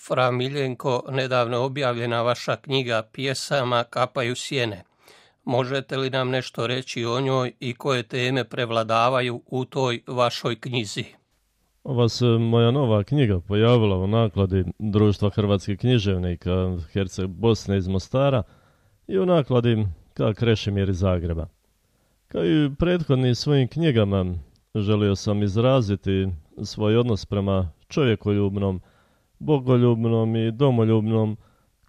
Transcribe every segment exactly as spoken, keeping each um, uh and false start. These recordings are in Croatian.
Fra Miljenko, nedavno objavljena vaša knjiga pjesama Kapaju sjene. Možete li nam nešto reći o njoj i koje teme prevladavaju u toj vašoj knjizi? Ova se moja nova knjiga pojavila u nakladi Društva hrvatskih književnika Herceg Bosne iz Mostara i u nakladi K. Krešimir iz Zagreba. Kao i u prethodnim svojim knjigama, želio sam izraziti svoj odnos prema čovjekoljubnom, bogoljubnom i domoljubnom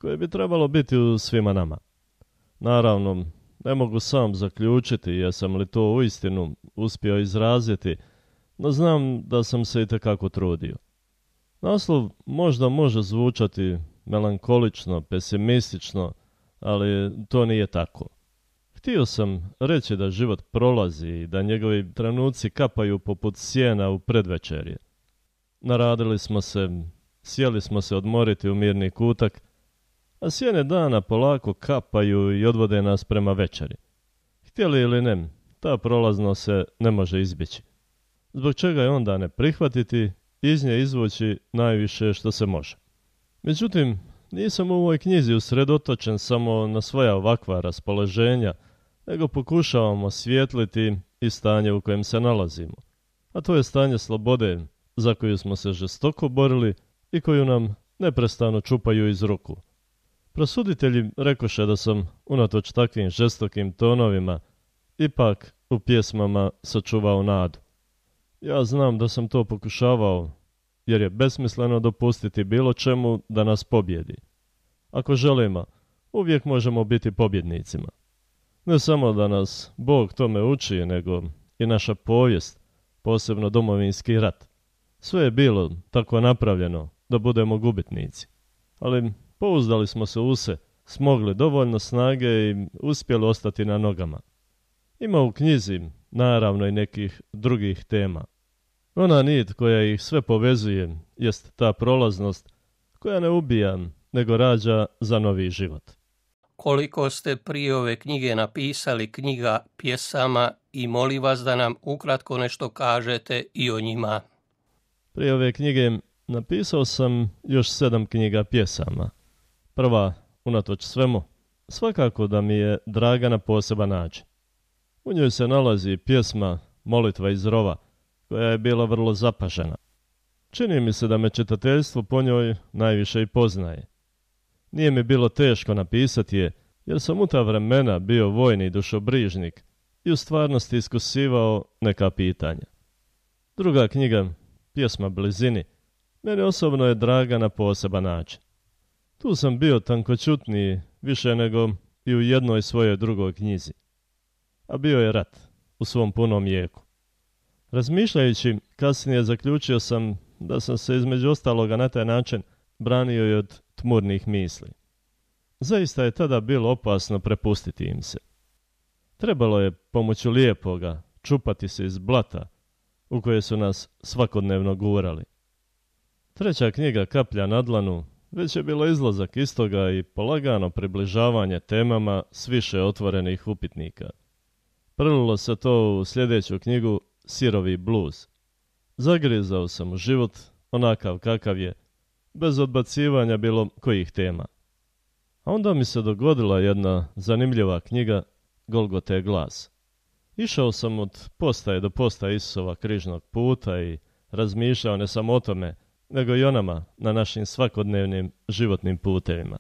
koje bi trebalo biti u svima nama. Naravno, ne mogu sam zaključiti jesam li to uistinu uspio izraziti, no znam da sam se itekako trudio. Naslov možda može zvučati melankolično, pesimistično, ali to nije tako. Htio sam reći da život prolazi i da njegovi trenuci kapaju poput sjena u predvečerje. Naradili smo se, sjeli smo se odmoriti u mirni kutak, a sjene dana polako kapaju i odvode nas prema večeri. Htjeli ili ne, ta prolaznost se ne može izbjeći. Zbog čega je onda ne prihvatiti i iz nje izvući najviše što se može. Međutim, nisam u ovoj knjizi usredotočen samo na svoja ovakva raspoloženja, nego pokušavam osvijetliti i stanje u kojem se nalazimo. A to je stanje slobode za koju smo se žestoko borili i koju nam neprestano čupaju iz ruku. Prosuditelji rekoše da sam, unatoč takvim žestokim tonovima, ipak u pjesmama sačuvao nadu. Ja znam da sam to pokušavao, jer je besmisleno dopustiti bilo čemu da nas pobjedi. Ako želimo, uvijek možemo biti pobjednicima. Ne samo da nas Bog tome uči, nego i naša povijest, posebno Domovinski rat. Sve je bilo tako napravljeno da budemo gubitnici. Ali pouzdali smo se u se, smogli dovoljno snage i uspjeli ostati na nogama. Ima u knjizi naravno i nekih drugih tema. Ona nit koja ih sve povezuje jest ta prolaznost koja ne ubija, nego rađa za novi život. Koliko ste prije ove knjige napisali knjiga pjesama i molim vas da nam ukratko nešto kažete i o njima. Prije ove knjige napisao sam još sedam knjiga pjesama. Prva, unatoč svemu, svakako da mi je draga na poseban način. U njoj se nalazi pjesma Molitva iz rova, koja je bila vrlo zapažena. Čini mi se da me čitateljstvo po njoj najviše i poznaje. Nije mi bilo teško napisati je, jer sam u ta vremena bio vojni dušobrižnik i u stvarnosti iskusivao neka pitanja. Druga knjiga, pjesma Blizini, meni osobno je draga na poseban način. Tu sam bio tankoćutniji više nego i u jednoj svojoj drugoj knjizi. A bio je rat u svom punom jeku. Razmišljajući, kasnije zaključio sam da sam se između ostaloga na taj način branio i od tmurnih misli. Zaista je tada bilo opasno prepustiti im se. Trebalo je pomoću lijepoga čupati se iz blata u koje su nas svakodnevno gurali. Treća knjiga Kaplja na dlanu već je bilo izlazak istoga i polagano približavanje temama s više otvorenih upitnika. Prelilo se to u sljedeću knjigu Sirovi bluz. Zagrizao sam u život onakav kakav je, bez odbacivanja bilo kojih tema. A onda mi se dogodila jedna zanimljiva knjiga Golgote glas. Išao sam od postaje do postaje Isusova križnog puta i razmišljao ne samo o tome, nego i o nama na našim svakodnevnim životnim putevima.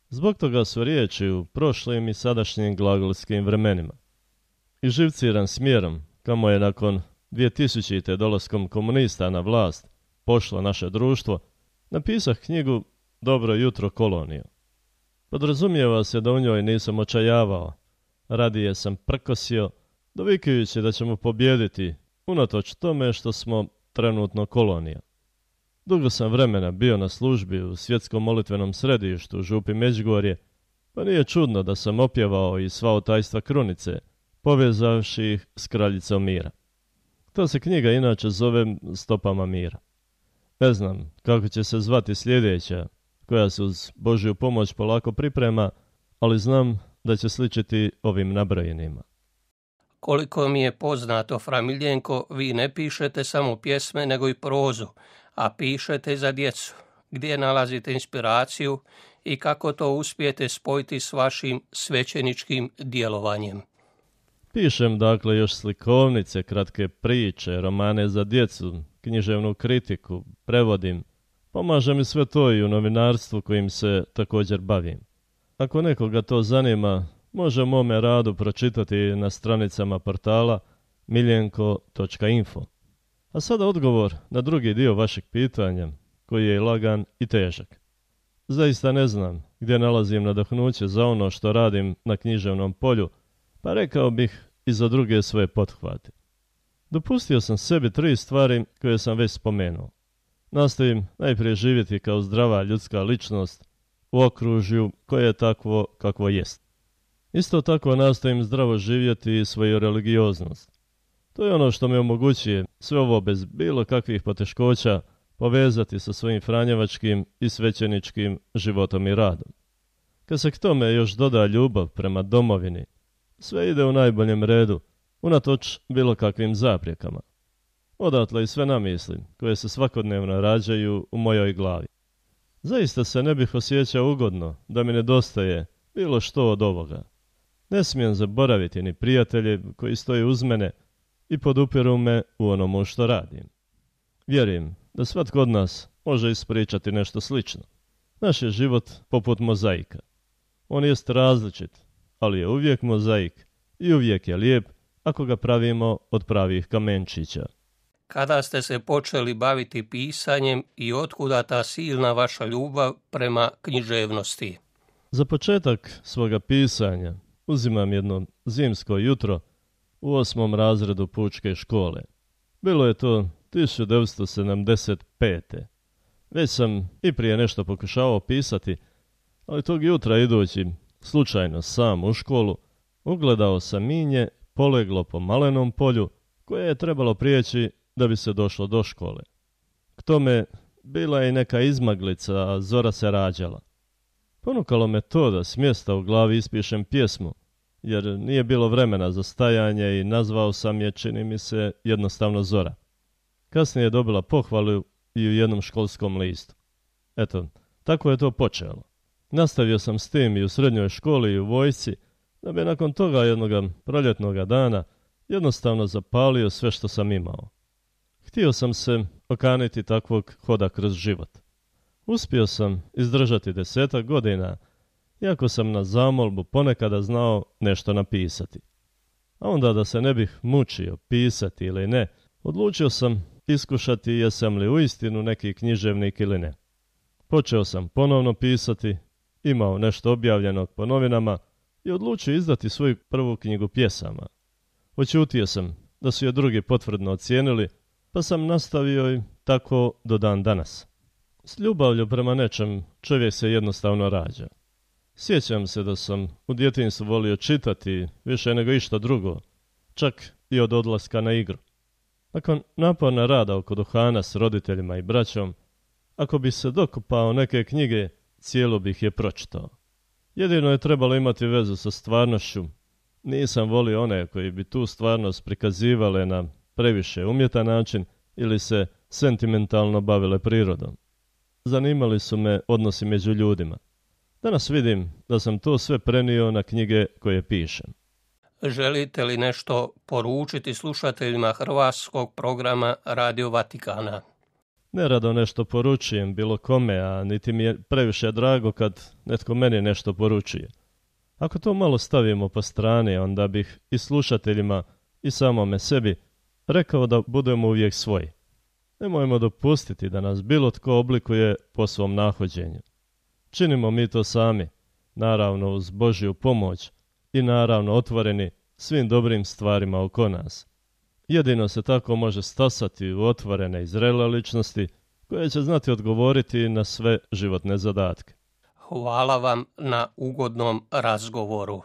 Zbog toga su riječi u prošlim i sadašnjim glagolskim vremenima. I živciran smjerom, kamo je nakon dvije tisućite dolaskom komunista na vlast pošlo naše društvo, napisah knjigu Dobro jutro kolonijo. Podrazumijeva se da u njoj nisam očajavao, radije sam prkosio, dovikajući da ćemo pobijediti, unatoč tome što smo trenutno kolonija. Dugo sam vremena bio na službi u svjetskom molitvenom središtu u Župi Međugorje, pa nije čudno da sam opjevao i sva otajstva krunice, povezavši ih s kraljicom mira. Ta se knjiga inače zove Stopama mira. Ne znam kako će se zvati sljedeća, koja se uz Božju pomoć polako priprema, ali znam da će sličiti ovim nabrojenima. Koliko mi je poznato, Fra Miljenko, vi ne pišete samo pjesme, nego i prozu, a pišete za djecu. gdje nalazite inspiraciju i kako to uspijete spojiti s vašim svećeničkim djelovanjem. Pišem dakle još slikovnice, kratke priče, romane za djecu, književnu kritiku, prevodim. Pomaže mi sve to i u novinarstvu kojim se također bavim. Ako nekoga to zanima, može o mome radu pročitati na stranicama portala miljenko točka info. A sada odgovor na drugi dio vašeg pitanja, koji je lagan i težak. Zaista ne znam gdje nalazim nadahnuće za ono što radim na književnom polju, pa rekao bih i za druge svoje pothvate. Dopustio sam sebi tri stvari koje sam već spomenuo. Nastojim najprije živjeti kao zdrava ljudska ličnost u okružju koje je takvo kakvo jest. Isto tako nastojim zdravo živjeti i svoju religioznost. To je ono što mi omogućuje sve ovo bez bilo kakvih poteškoća povezati sa svojim franjevačkim i svećeničkim životom i radom. Kad se k tome još doda ljubav prema domovini, sve ide u najboljem redu, unatoč bilo kakvim zaprijekama. Odatle i sve namisli koje se svakodnevno rađaju u mojoj glavi. Zaista se ne bih osjećao ugodno da mi nedostaje bilo što od ovoga. Ne smijem zaboraviti ni prijatelje koji stoje uz mene i podupiru me u onomu što radim. Vjerujem da svatko od nas može ispričati nešto slično. Naš je život poput mozaika. On jest različit, ali je uvijek mozaik i uvijek je lijep ako ga pravimo od pravih kamenčića. Kada ste se počeli baviti pisanjem i otkuda ta silna vaša ljubav prema književnosti? Za početak svoga pisanja uzimam jedno zimsko jutro u osmom razredu pučke škole. Bilo je to tisuću devetsto sedamdeset pete. Već sam i prije nešto pokušavao pisati, ali tog jutra idući slučajno sam u školu ugledao sam minje poleglo po malenom polju koje je trebalo prijeći da bi se došlo do škole. K tome bila je i neka izmaglica, a zora se rađala. Ponukalo me to da s mjesta u glavi ispišem pjesmu, jer nije bilo vremena za stajanje i nazvao sam je, čini mi se, jednostavno Zora. Kasnije je dobila pohvalu i u jednom školskom listu. Eto, tako je to počelo. Nastavio sam s tim i u srednjoj školi i u vojsci, da bi nakon toga jednoga proljetnoga dana jednostavno zapalio sve što sam imao. Htio sam se okaniti takvog hoda kroz život. Uspio sam izdržati desetak godina, iako sam na zamolbu ponekada znao nešto napisati. A onda da se ne bih mučio pisati ili ne, odlučio sam iskušati jesam li uistinu neki književnik ili ne. Počeo sam ponovno pisati, imao nešto objavljenog po novinama i odlučio izdati svoju prvu knjigu pjesama. Oćutio sam da su je drugi potvrdno ocijenili, pa sam nastavio i tako do dan danas. S ljubavlju prema nečem čovjek se jednostavno rađa. Sjećam se da sam u djetinjstvu volio čitati više nego išta drugo, čak i od odlaska na igru. Nakon naporna rada oko duhana s roditeljima i braćom, ako bi se dokopao neke knjige, cijelo bih je pročitao. Jedino je trebalo imati vezu sa stvarnošću. Nisam volio one koji bi tu stvarnost prikazivale na previše umjetan način ili se sentimentalno bavile prirodom. Zanimali su me odnosi među ljudima. Danas vidim da sam to sve prenio na knjige koje pišem. Želite li nešto poručiti slušateljima hrvatskog programa Radio Vatikana? Nerado nešto poručujem bilo kome, a niti mi je previše drago kad netko meni nešto poručuje. Ako to malo stavimo po strani, onda bih i slušateljima i samome sebi rekao da budemo uvijek svoji. Nemojmo dopustiti da nas bilo tko oblikuje po svom nahođenju. Činimo mi to sami, naravno uz Božju pomoć i naravno otvoreni svim dobrim stvarima oko nas. Jedino se tako može stasati u otvorene i zrele ličnosti koje će znati odgovoriti na sve životne zadatke. Hvala vam na ugodnom razgovoru.